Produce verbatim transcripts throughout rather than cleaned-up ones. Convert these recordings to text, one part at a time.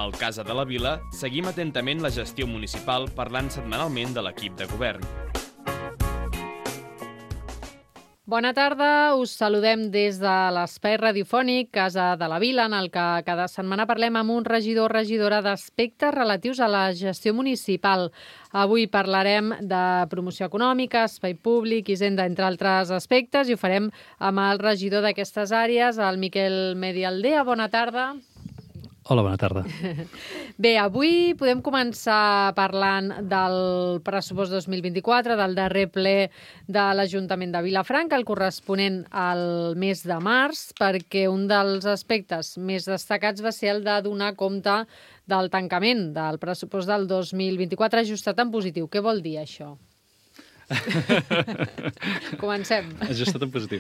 Al Casa de la Vila seguim atentament la gestió municipal parlant setmanalment de l'equip de govern. Bona tarda, us saludem des de l'espai radiofònic Casa de la Vila, en el que cada setmana parlem amb un regidor o regidora d'aspectes relatius a la gestió municipal. Avui parlarem de promoció econòmica, espai públic, hisenda, entre altres aspectes, i ho farem amb el regidor d'aquestes àrees, el Miquel Medialdea. Bona tarda. Hola, bona tarda. Bé, avui podem començar parlant del pressupost dos mil vint-i-quatre, del darrer ple de l'Ajuntament de Vilafranca, el corresponent al mes de març, perquè un dels aspectes més destacats va ser el de donar compte del tancament del pressupost del dos mil vint-i-quatre ajustat en positiu. Què vol dir això? Comencem. Ajustat en positiu,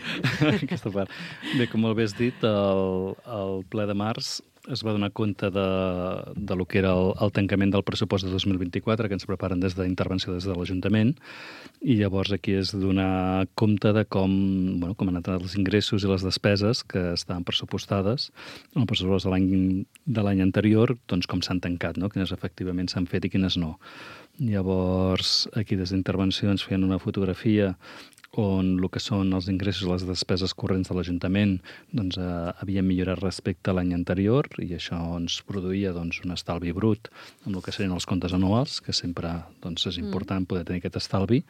aquesta part. Bé, com molt bé has dit, el, el ple de març es va donar compte de, de lo que era el, el tancament del pressupost de dos mil vint-i-quatre, que ens preparen des d'intervenció des de l'Ajuntament, i llavors aquí és donar compte de com, bueno, com han anat els ingressos i les despeses que estaven pressupostades en el pressupost de l'any de l'any anterior, doncs com s'han tancat, no? Quines efectivament s'han fet i quines no. Llavors, aquí des d'intervenció ens feien una fotografia on el que són els ingressos i les despeses corrents de l'Ajuntament doncs, eh, havien millorat respecte a l'any anterior, i això ens produïa doncs, un estalvi brut amb el que serien els comptes anuals, que sempre doncs, és important mm. poder tenir aquest estalvi,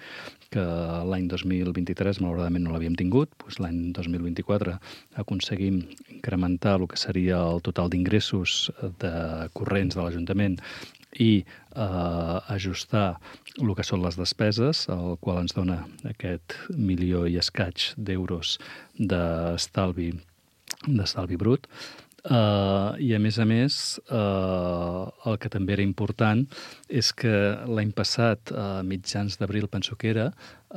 que l'any dos mil vint-i-tres malauradament no l'havíem tingut. Doncs l'any dos mil vint-i-quatre aconseguim incrementar el que seria el total d'ingressos de corrents de l'Ajuntament i eh, ajustar el que són les despeses, el qual ens dona aquest milió i escaig d'euros d'estalvi d'estalvi brut. Uh, I, a més a més, uh, el que també era important és que l'any passat, a mitjans d'abril, penso que era,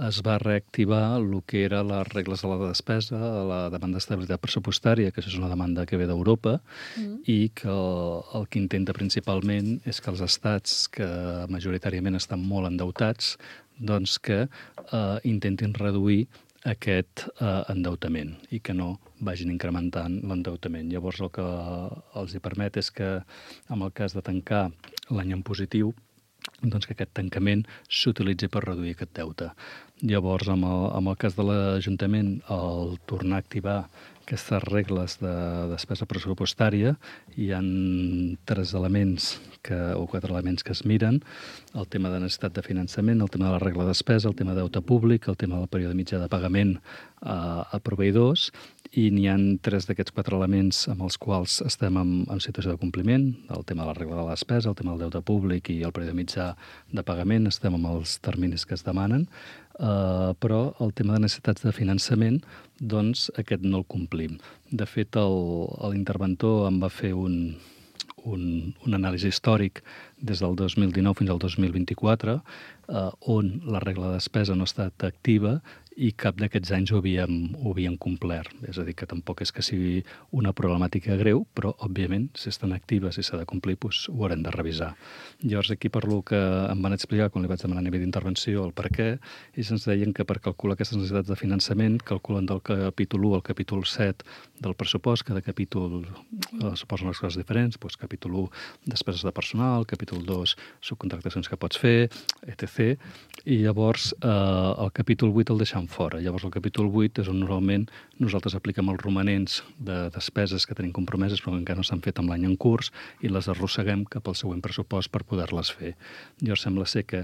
es va reactivar el que era les regles de la despesa, la demanda d'estabilitat pressupostària, que és una demanda que ve d'Europa, mm. i que el, el que intenta principalment és que els estats que majoritàriament estan molt endeutats, doncs que uh, intentin reduir aquest eh, endeutament i que no vagin incrementant l'endeutament. Llavors el que els hi permet és que en el cas de tancar l'any en positiu, doncs que aquest tancament s'utilitzi per reduir aquest deute. Llavors, amb el, amb el cas de l'Ajuntament, el tornar a activar aquestes regles de despesa pressupostària, hi ha tres elements que, o quatre elements que es miren: el tema de necessitat de finançament, el tema de la regla de despesa, el tema de deute públic, el tema del període mitjà de pagament a, a proveïdors, i n'hi ha tres d'aquests quatre elements amb els quals estem en, en situació de compliment: el tema de la regla de la despesa, el tema del deute públic i el període mitjà de pagament, estem amb els terminis que es demanen. Uh, però el tema de necessitats de finançament, doncs aquest no el complim. De fet, l'interventor em va fer un, un, un anàlisi històric des del dos mil dinou fins al dos mil vint-i-quatre, uh, on la regla de despesa no ha estat activa i cap d'aquests anys ho havíem, ho havíem complert. És a dir, que tampoc és que sigui una problemàtica greu, però, òbviament, si estan actives i s'ha de complir, doncs ho haurem de revisar. Llavors, aquí per lo que em van explicar quan li vaig demanar a nivell d'intervenció el per què, i ens deien que per calcular aquestes necessitats de finançament calculen del capítol u al capítol set del pressupost. Cada capítol eh, suposa unes coses diferents, doncs capítol u, despeses de personal, capítol dos, subcontractacions que pots fer, etcètera. I llavors eh, el capítol vuit el deixem fora. Llavors el capítol vuit és on normalment nosaltres apliquem els romanents de despeses que tenim compromeses però que encara no s'han fet amb l'any en curs i les arrosseguem cap al següent pressupost per poder-les fer. Llavors sembla ser que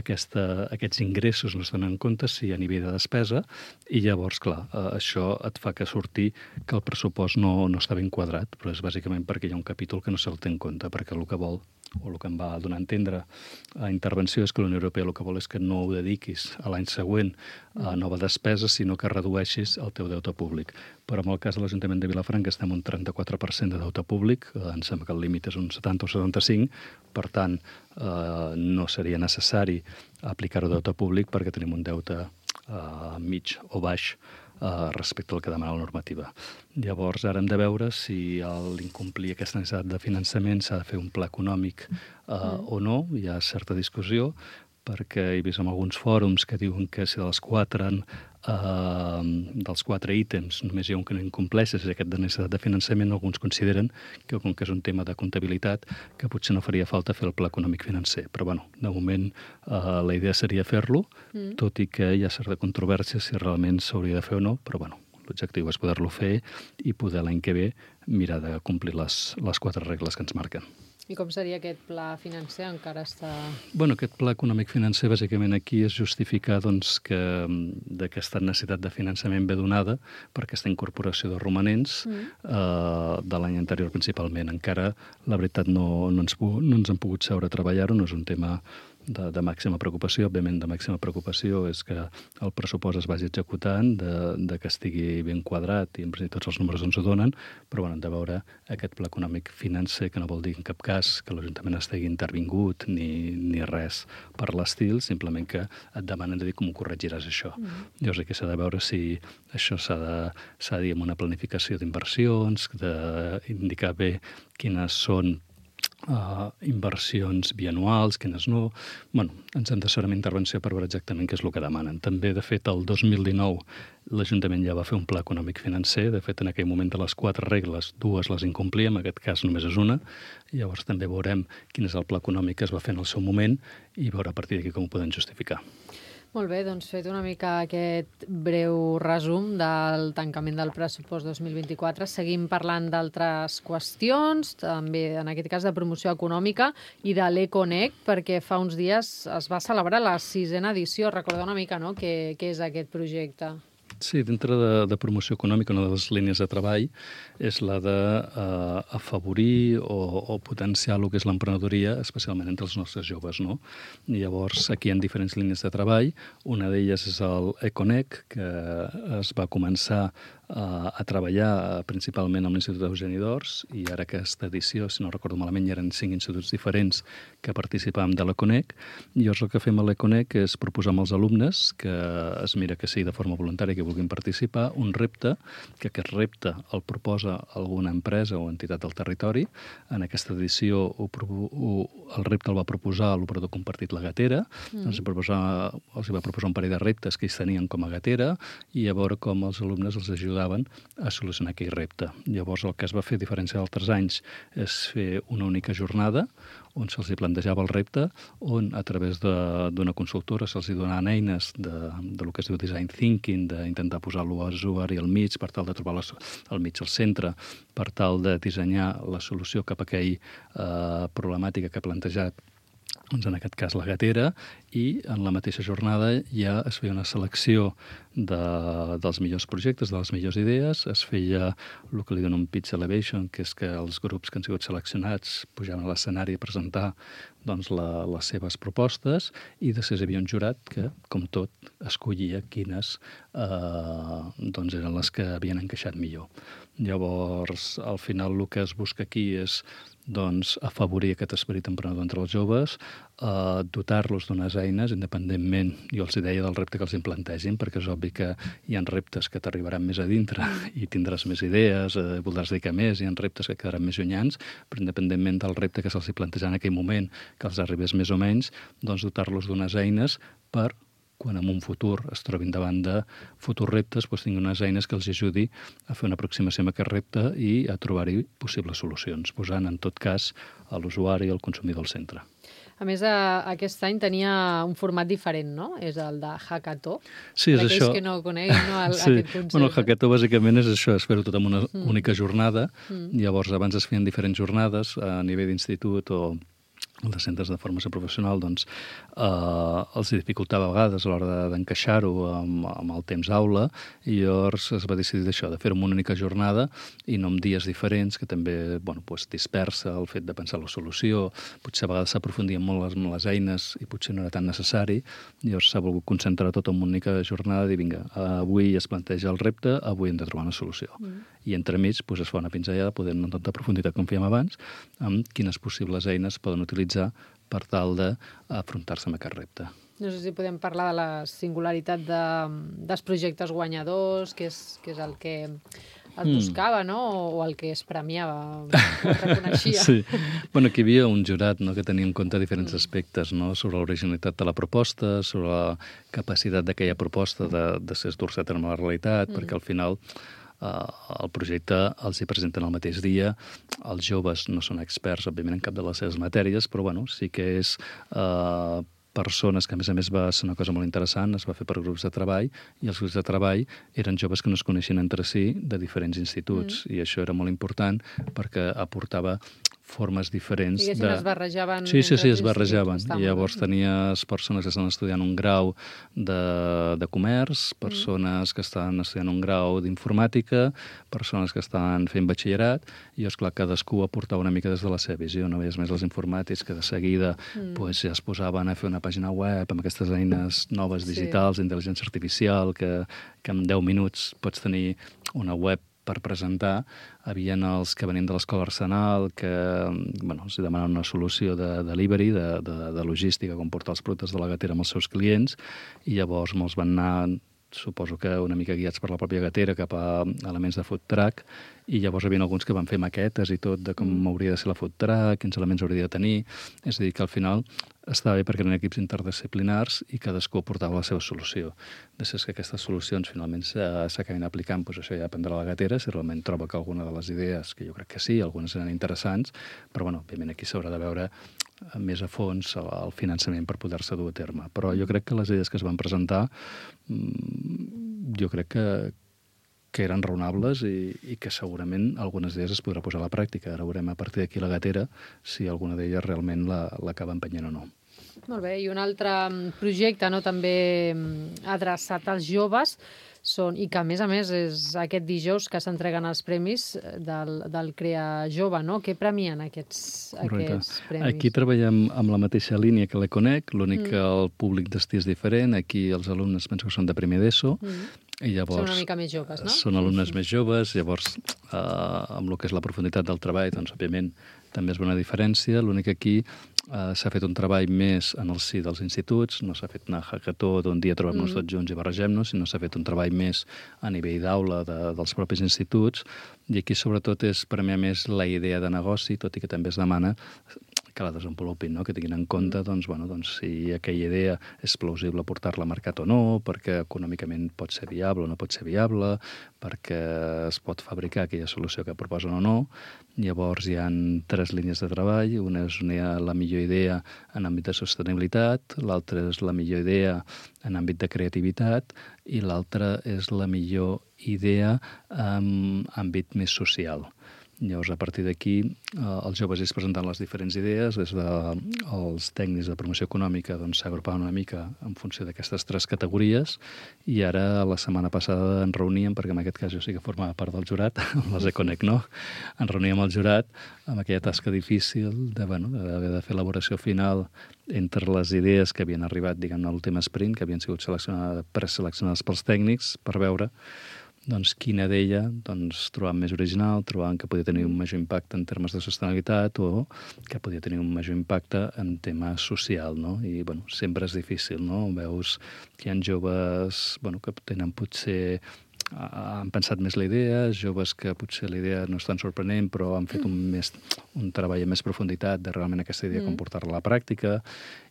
aquesta, aquests ingressos no es donen en compte si a nivell de despesa, i llavors, clar, eh, això et fa que surti que el pressupost no, no està ben quadrat, però és bàsicament perquè hi ha un capítol que no se'l té en compte, perquè el que vol, o el que em va donar a entendre a intervenció, és que la Unió Europea el que vol és que no ho dediquis a l'any següent a nova despesa, sinó que redueixis el teu deute públic. Però en el cas de l'Ajuntament de Vilafranca estem un trenta-quatre per cent de deute públic, eh, em sembla que el límit és un setanta o setanta-cinc, per tant, eh, no seria necessari aplicar-ho deute públic perquè tenim un deute eh, mig o baix eh, respecte al que demana la normativa. Llavors, ara hem de veure si l'incomplir aquesta necessitat de finançament s'ha de fer un pla econòmic eh, mm. o no. Hi ha certa discussió, perquè he vist en alguns fòrums que diuen que si dels quatre, eh, dels quatre ítems només hi ha un que no incompleix, és aquest de necessitat de finançament, alguns consideren que com que és un tema de comptabilitat, que potser no faria falta fer el pla econòmic financer. Però, bueno, de moment eh, la idea seria fer-lo, mm. tot i que hi ha certa controvèrsia si realment s'hauria de fer o no, però, bueno, l'objectiu és poder-lo fer i poder l'any que ve mirar de complir les, les quatre regles que ens marquen. I com seria aquest pla financer? Encara està... Bueno, aquest pla econòmic financer, bàsicament aquí és justificar doncs, que d'aquesta necessitat de finançament ve donada per aquesta incorporació de romanents mm. eh, de l'any anterior principalment. Encara, la veritat, no, no, ens, no ens hem pogut seure a treballar-ho, no és un tema de, de màxima preocupació. Òbviament, de màxima preocupació és que el pressupost es vagi executant, de, de que estigui ben quadrat i en principi tots els números ens ho donen, però bueno, hem de veure aquest pla econòmic financer, que no vol dir en cap cas que l'Ajuntament estigui intervingut ni, ni res per l'estil, simplement que et demanen de dir com ho corregiràs això. Mm. Llavors aquí s'ha de veure si això s'ha de, s'ha de dir amb una planificació d'inversions, d'indicar bé quines són Uh, inversions bianuals, quines no. Bueno, ens han de fer una intervenció per veure exactament què és el que demanen. També, de fet, el dos mil dinou l'Ajuntament ja va fer un pla econòmic financer. De fet, en aquell moment de les quatre regles, dues les incomplíem, en aquest cas només és una. Llavors també veurem quin és el pla econòmic que es va fer en el seu moment i veure a partir d'aquí com ho podem justificar. Molt bé, doncs fet una mica aquest breu resum del tancament del pressupost dos mil vint-i-quatre. Seguim parlant d'altres qüestions, també en aquest cas de promoció econòmica i de l'Econec, perquè fa uns dies es va celebrar la sisena edició. Recorda una mica, no?, què, què és aquest projecte. Sí, dintre de, de promoció econòmica, una de les línies de treball és la d'afavorir uh, o, o potenciar el que és l'emprenedoria, especialment entre els nostres joves, no? I llavors, aquí hi ha diferents línies de treball. Una d'elles és el Econec, que es va començar uh, a treballar principalment amb l'Institut Eugeni d'Ors, i ara aquesta edició, si no recordo malament, hi eren cinc instituts diferents que participàvem de l'Econec. I llavors el que fem a l'Econec és proposar amb els alumnes, que es mira que sigui de forma voluntària, que vulguin participar, un repte, que aquest repte el proposa alguna empresa o entitat del territori. En aquesta edició ho, ho, el repte el va proposar l'operador compartit La Gatera, mm. els, proposar, els va proposar un parell de reptes que ells tenien com a Gatera i a veure com els alumnes els ajudaven a solucionar aquell repte. Llavors el que es va fer, a diferència d'altres anys, és fer una única jornada on se'ls plantejava el repte, on a través d'una consultora se'ls donaven eines de, de lo que es diu design thinking, d'intentar posar l'usuari al mig per tal de trobar les, al mig al centre, per tal de dissenyar la solució cap a aquella eh, problemàtica que ha plantejat, doncs en aquest cas la Gatera, i en la mateixa jornada ja es feia una selecció de, dels millors projectes, de les millors idees, es feia el que li donen un pitch elevation, que és que els grups que han sigut seleccionats pujaven a l'escenari a presentar doncs, la, les seves propostes, i després hi havia un jurat que, com tot, escollia quines eh, doncs eren les que havien encaixat millor. Llavors, al final, el que es busca aquí és doncs, afavorir aquest esperit emprenedor entre els joves, eh, dotar-los d'unes eines, independentment, jo els deia, del repte que els implantegin, perquè és obvi que hi ha reptes que t'arribaran més a dintre i tindràs més idees, eh, voldràs dedicar més, hi ha reptes que quedaran més llunyans, però independentment del repte que se'ls planteja en aquell moment, que els arribés més o menys, doncs dotar-los d'unes eines per quan en un futur es trobin davant de futurs reptes, doncs tinguin unes eines que els ajudi a fer una aproximació a aquest repte i a trobar-hi possibles solucions, posant en tot cas a l'usuari i al consumidor al centre. A més, aquest any tenia un format diferent, no? És el de hackathon. Sí, és això. Que no coneguin, no, el, sí. aquest concepte. Bueno, el hackathon bàsicament és això, és fer-ho tot en una mm. única jornada. Mm. Llavors, abans es feien diferents jornades a nivell d'institut o de centres de formació professional, doncs, eh, els dificultava a vegades a l'hora d'encaixar-ho amb, amb el temps aula, i llavors es va decidir això, de fer-ho en una única jornada i no en dies diferents, que també bueno, doncs dispersa el fet de pensar la solució, potser a vegades s'aprofundia molt les, les eines i potser no era tan necessari, llavors s'ha volgut concentrar tot en una única jornada i dir, vinga, avui es planteja el repte, avui hem de trobar una solució. Mm. I entremig doncs, es fa una pinzellada, podem no tanta profunditat com fèiem abans, amb quines possibles eines poden utilitzar per tal d'afrontar-se amb aquest repte. No sé si podem parlar de la singularitat de, dels projectes guanyadors, que és, que és el que es buscava, no? O el que es premiava, o es reconeixia. Sí. Bueno, aquí hi havia un jurat, no?, que tenia en compte diferents mm. aspectes, no?, sobre l'originalitat de la proposta, sobre la capacitat d'aquella proposta de, de ser dur-se a terme la realitat, mm. perquè al final Uh, el projecte els hi presenten el mateix dia. Els joves no són experts, òbviament, en cap de les seves matèries, però bueno, sí que és uh, persones que, a més a més, va ser una cosa molt interessant, es va fer per grups de treball, i els grups de treball eren joves que no es coneixien entre si de diferents instituts, mm. i això era molt important perquè aportava formes diferents. Diguéssim, de... es barrejaven... Sí, sí, sí, es barrejaven. I llavors tenies persones que estan estudiant un grau de, de comerç, persones mm. que estan estudiant un grau d'informàtica, persones que estan fent batxillerat, i, esclar, cadascú aportava una mica des de la seva visió. No veies més els informàtics que de seguida mm. pues, ja es posaven a fer una pàgina web amb aquestes eines noves digitals, sí. d'intel·ligència artificial, que, que en deu minuts pots tenir una web per presentar. Havien els que venien de l'escola Arsenal, que bueno, els demanaven una solució de delivery, de, de, de logística, com portar els productes de la gatera amb els seus clients, i llavors molts van anar, suposo que una mica guiats per la pròpia gatera, cap a elements de food truck, i llavors hi havia alguns que van fer maquetes i tot de com mm. hauria de ser la food truck, quins elements hauria de tenir. És a dir, que al final estava bé perquè eren equips interdisciplinars i cadascú aportava la seva solució. Després que aquestes solucions finalment s'acabin aplicant, doncs això ja dependrà de la gatera, si realment troba que alguna de les idees, que jo crec que sí, algunes eren interessants, però bueno, òbviament aquí s'haurà de veure més a fons el finançament per poder-se dur a terme. Però jo crec que les idees que es van presentar, jo crec que, que eren raonables i, i que segurament algunes d'elles es podrà posar a la pràctica. Ara veurem a partir d'aquí la gatera si alguna d'elles realment l'acaba la, empenyent o no. Molt bé, i un altre projecte, no, també adreçat als joves, són, i que a més a més és aquest dijous que s'entreguen els premis del, del Crea Jove, no? Què premien aquests, aquests premis? Aquí treballem amb la mateixa línia que l'Econec, l'únic mm. que el públic destí és diferent. Aquí els alumnes penso que són de primer d'ESO, mm. i llavors són una mica més joves, no? Són alumnes sí. més joves, llavors eh, amb el que és la profunditat del treball, doncs òbviament també és una diferència. L'únic que aquí eh, s'ha fet un treball més en el si dels instituts, no s'ha fet una hackathó d'un dia trobem-nos mm. tots junts i barregem-nos, sinó s'ha fet un treball més a nivell d'aula de, dels propis instituts, i aquí sobretot és premiar més la idea de negoci, tot i que també es demana que la desenvolupin, no? Que tinguin en compte doncs, bueno, doncs, si aquella idea és plausible portar-la al mercat o no, perquè econòmicament pot ser viable o no pot ser viable, perquè es pot fabricar aquella solució que proposen o no. Llavors hi ha tres línies de treball. Una és una, la millor idea en àmbit de sostenibilitat, l'altra és la millor idea en àmbit de creativitat i l'altra és la millor idea en àmbit més social. Llavors, a partir d'aquí, eh, els joves es presenten les diferents idees, des dels tècnics de promoció econòmica doncs, s'agrupaven una mica en funció d'aquestes tres categories, i ara, la setmana passada, ens reuníem, perquè en aquest cas jo sí que formava part del jurat, amb les Econec no, ens reuníem al jurat amb aquella tasca difícil de, bueno, d'haver de fer elaboració final entre les idees que havien arribat, diguem, a l'últim sprint, que havien sigut seleccionades, preseleccionades pels tècnics, per veure doncs, quina d'ella doncs, trobàvem més original, trobàvem que podia tenir un major impacte en termes de sostenibilitat o que podia tenir un major impacte en tema social, no? I, bueno, sempre és difícil, no? Veus que hi ha joves, bueno, que tenen potser han pensat més la idea, joves que potser la idea no és tan sorprenent, però han fet un, més, un treball amb més profunditat de realment aquesta idea, mm. com portar-la a la pràctica,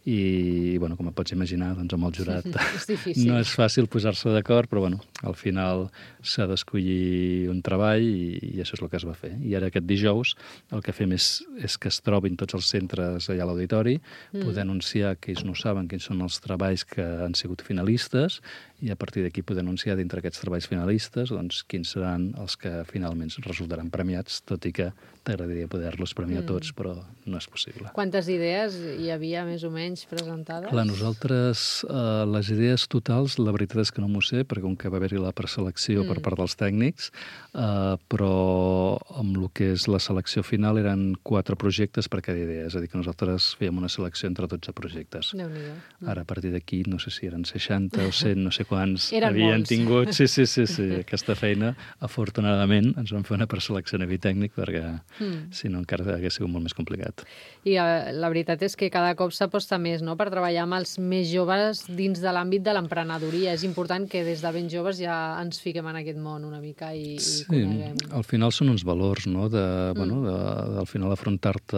i, bueno, com et pots imaginar, doncs amb el jurat és difícil. No és fàcil posar-se d'acord, però, bueno, al final s'ha d'escollir un treball i, i això és el que es va fer. I ara aquest dijous el que fem és, és que es trobin tots els centres allà a l'auditori, mm. poder anunciar que ells no saben quins són els treballs que han sigut finalistes, i a partir d'aquí poder anunciar dintre aquests treballs finalistes doncs, quins seran els que finalment resultaran premiats, tot i que t'agradaria poder-los premiar mm. tots, però no és possible. Quantes idees hi havia més o menys presentades? Clar, nosaltres, eh, les idees totals, la veritat és que no m'ho sé, perquè com que va haver-hi la preselecció mm. per part dels tècnics, eh, però amb el que és la selecció final eren quatre projectes per cada idea, és a dir, que nosaltres fèiem una selecció entre dotze projectes. Déu-n'hi-do. Ara, a partir d'aquí, no sé si eren seixanta o cent, no sé quants eren havien molts. tingut. Sí, sí, sí, sí, aquesta feina, afortunadament, ens vam fer una preselecció a nivell tècnic perquè Mm. Si no, encara hagués sigut molt més complicat. I eh, la veritat és que cada cop s'aposta més, no?, per treballar amb els més joves dins de l'àmbit de l'emprenedoria. És important que des de ben joves ja ens fiquem en aquest món una mica i, sí, i coneguem. Al final són uns valors, no?, de, Mm. bueno, de, de, al final afrontar-te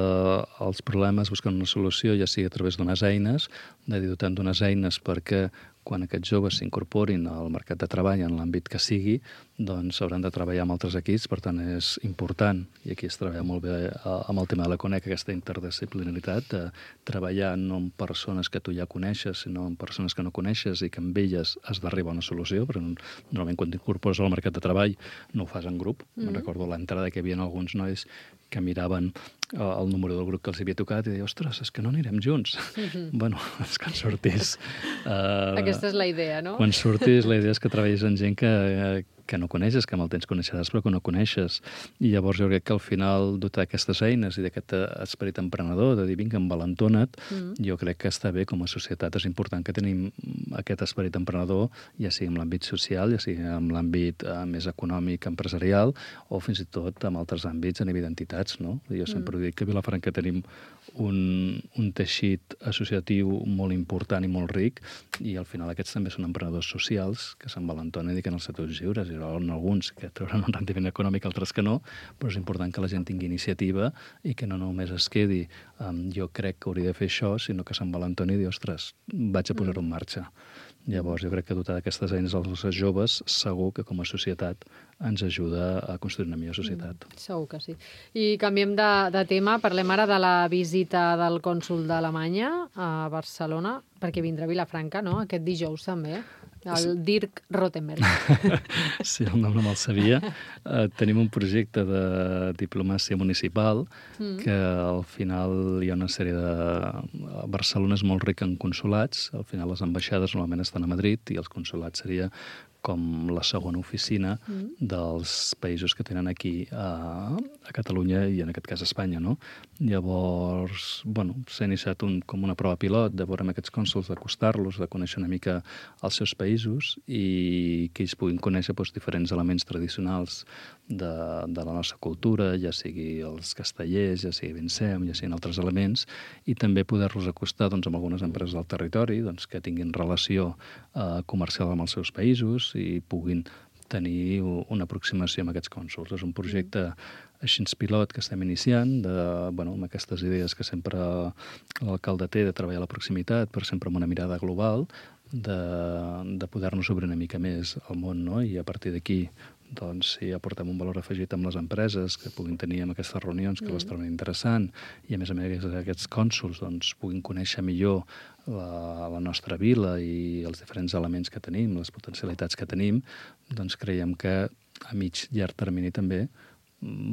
als problemes buscant una solució, ja sigui a través d'unes eines, de dir dotant d'unes eines perquè quan aquests joves s'incorporin al mercat de treball en l'àmbit que sigui, doncs hauran de treballar amb altres equips, per tant és important, i aquí es treballa molt bé amb el tema de la Conec, aquesta interdisciplinaritat, de treballar no amb persones que tu ja coneixes, sinó amb persones que no coneixes i que amb elles has d'arribar a una solució, perquè normalment quan t'incorpores al mercat de treball no ho fas en grup. Mm-hmm. Me'n recordo a l'entrada que hi havia alguns nois que miraven el número del grup que els havia tocat i deia, ostres, és que no anirem junts. Mm-hmm. Bueno, és que quan surtis... Uh, Aquesta és la idea, no? Quan surtis, la idea és que treballis amb gent que, que no coneixes, que amb el temps coneixeràs, però que no coneixes. I llavors jo crec que al final dotar d'aquestes eines i d'aquest esperit emprenedor, de dir, vinga, envalentona't, mm. jo crec que està bé com a societat. És important que tenim aquest esperit emprenedor, ja sigui en l'àmbit social, ja sigui en l'àmbit eh, més econòmic, empresarial, o fins i tot en altres àmbits a nivell d'entitats, no? Jo sempre mm. dic que a Vilafranca tenim un, un teixit associatiu molt important i molt ric, i al final aquests també són emprenedors socials que s'envalentonen i dediquen als sectors lliures, i en alguns que trauran un rendiment econòmic, altres que no, però és important que la gent tingui iniciativa i que no només es quedi um, jo crec que hauria de fer això, sinó que s'envalentoni i dir, ostres, vaig a posar-ho en marxa. Llavors, jo crec que dotar d'aquestes eines als joves segur que com a societat ens ajuda a construir una millor societat. Mm, segur que sí. I canviem de, de tema, parlem ara de la visita del cònsol d'Alemanya a Barcelona, perquè vindrà a Vilafranca, no?, aquest dijous també. El Dirk Rottenberg. Sí, el nom no me'l sabia. Uh, tenim un projecte de diplomàcia municipal mm. que al final hi ha una sèrie de... Barcelona és molt rica en consolats, al final les ambaixades normalment estan a Madrid i els consolats seria com la segona oficina mm. dels països que tenen aquí a, a Catalunya i en aquest cas a Espanya, no? Llavors, bueno, s'ha iniciat un, com una prova pilot de veure amb aquests cònsols, d'acostar-los, de conèixer una mica els seus països i que ells puguin conèixer doncs, diferents elements tradicionals de, de la nostra cultura, ja sigui els castellers, ja sigui Vincem, ja siguin altres elements, i també poder-los acostar doncs, amb algunes empreses del territori doncs, que tinguin relació eh, comercial amb els seus països i puguin tenir una aproximació amb aquests cònsols. És un projecte així pilot que estem iniciant, de, bueno, amb aquestes idees que sempre l'alcalde té de treballar a la proximitat, però sempre amb una mirada global, de, de poder-nos obrir una mica més al món, no? I a partir d'aquí doncs, si aportem un valor afegit amb les empreses que puguin tenir en aquestes reunions, que mm. les troben interessant, i a més a més aquests cònsols doncs, puguin conèixer millor la, la nostra vila i els diferents elements que tenim, les potencialitats que tenim, doncs creiem que a mig llarg termini també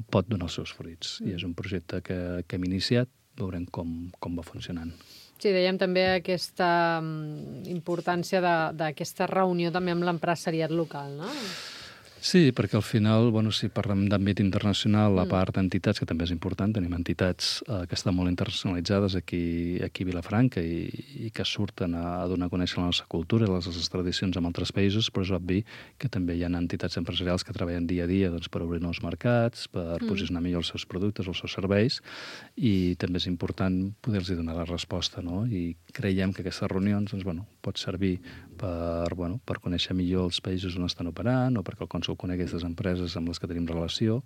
pot donar els seus fruits. Mm. I és un projecte que, que hem iniciat, veurem com, com va funcionant. Sí, dèiem també aquesta importància d'aquesta reunió també amb l'empresariat local, no? Sí, perquè al final, bueno, si parlem d'àmbit internacional, la part d'entitats, que també és important, tenim entitats eh, que estan molt internacionalitzades aquí, aquí a Vilafranca i, i que surten a, a donar a conèixer la nostra cultura i les nostres tradicions en altres països, però és obvi que també hi ha entitats empresarials que treballen dia a dia doncs, per obrir nous mercats, per mm. posicionar millor els seus productes, els seus serveis, i també és important poder-los donar la resposta, no? I creiem que aquestes reunions doncs, bueno, pot servir per, bueno, per conèixer millor els països on estan operant o perquè el cònsol conegui aquestes empreses amb les que tenim relació,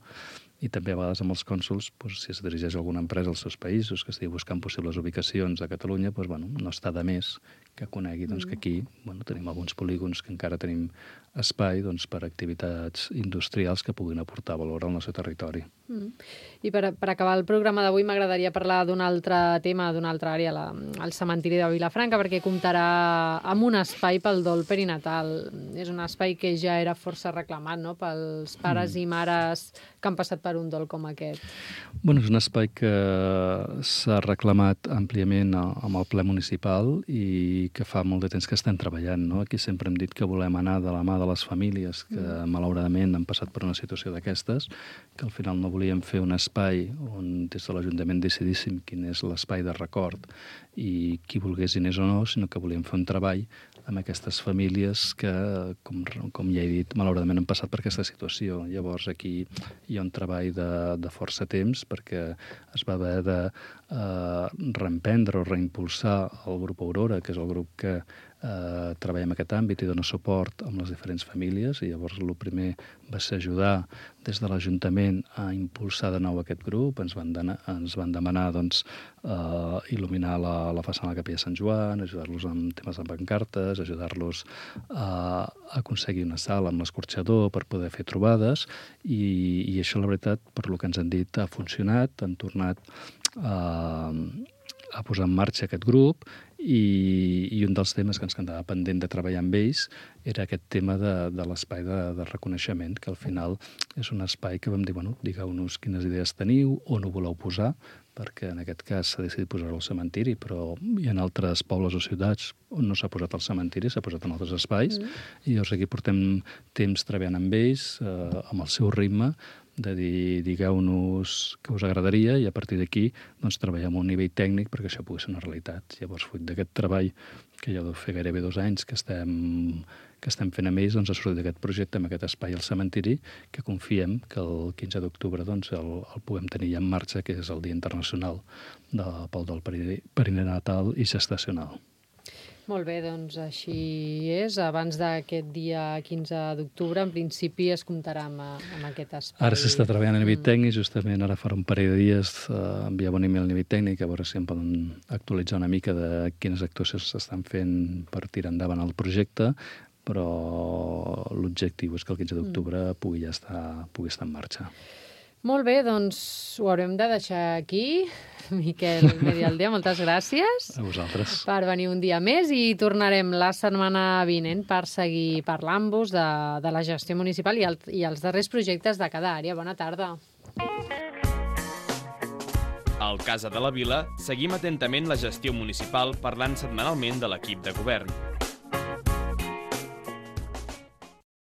i també a vegades amb els cònsols, doncs, si es dirigeix a alguna empresa als seus països que estigui buscant possibles ubicacions a Catalunya, doncs, bueno, no està de més que conegui doncs, que aquí bueno, tenim alguns polígons que encara tenim espai doncs, per activitats industrials que puguin aportar valor al nostre territori. Mm. I per, per acabar el programa d'avui m'agradaria parlar d'un altre tema, d'una altra àrea, la, el cementiri de Vilafranca, perquè comptarà amb un espai pel dol perinatal. És un espai que ja era força reclamat, no?, pels pares mm. i mares que han passat per un dol com aquest. Bueno, és un espai que s'ha reclamat àmpliament amb el ple municipal i que fa molt de temps que estem treballant, no? Aquí sempre hem dit que volem anar de la mà de les famílies que mm. malauradament han passat per una situació d'aquestes, que al final no volíem fer un espai on des de l'Ajuntament decidíssim quin és l'espai de record i qui volgués diners o no, sinó que volíem fer un treball amb aquestes famílies que, com, com ja he dit, malauradament han passat per aquesta situació. Llavors aquí hi ha un treball de, de força temps perquè es va haver de eh, reemprendre o reimpulsar el grup Aurora, que és el grup que eh, treballa en aquest àmbit i dona suport amb les diferents famílies, i llavors el primer va ser ajudar des de l'Ajuntament a impulsar de nou aquest grup. Ens van, demanar, ens van demanar doncs, eh, il·luminar la, la façana de la Capella Sant Joan, ajudar-los amb temes de pancartes, ajudar-los a aconseguir una sala amb l'escorxador per poder fer trobades, i, i això, la veritat, per lo que ens han dit, ha funcionat. Han tornat a, a posar en marxa aquest grup, i, i un dels temes que ens quedava pendent de treballar amb ells era aquest tema de, de l'espai de, de reconeixement, que al final és un espai que vam dir, bueno, digueu-nos quines idees teniu, on ho voleu posar, perquè en aquest cas s'ha decidit posar-ho al cementiri, però hi ha altres pobles o ciutats on no s'ha posat al cementiri, s'ha posat en altres espais, mm. i llavors aquí portem temps treballant amb ells, eh, amb el seu ritme, de dir, digueu-nos què us agradaria, i a partir d'aquí doncs, treballem a un nivell tècnic perquè això pugui ser una realitat. Llavors, fruit d'aquest treball, que ja deu fer gairebé dos anys que estem, que estem fent amb ells, doncs, ha sortit aquest projecte amb aquest espai al cementiri, que confiem que el quinze d'octubre doncs, el, el puguem tenir ja en marxa, que és el Dia Internacional de, pel dol perinatal i gestacional. Molt bé, doncs així és. Abans d'aquest dia quinze d'octubre, en principi es comptarà amb, amb aquest espai. Ara s'està treballant a nivell mm. tècnic, justament ara farà un parell de dies eh, enviava un email a nivell tècnic, a veure si em poden actualitzar una mica de quines actuacions s'estan fent per tirar endavant el projecte, però l'objectiu és que el quinze d'octubre mm. pugui ja estar, pugui estar en marxa. Molt bé, doncs ho haurem de deixar aquí. Miquel Medialdea, moltes gràcies. A vosaltres. Per venir un dia més, i tornarem la setmana vinent per seguir parlant-vos de, de la gestió municipal i, el, i els darrers projectes de cada àrea. Bona tarda. Al Casa de la Vila seguim atentament la gestió municipal parlant setmanalment de l'equip de govern.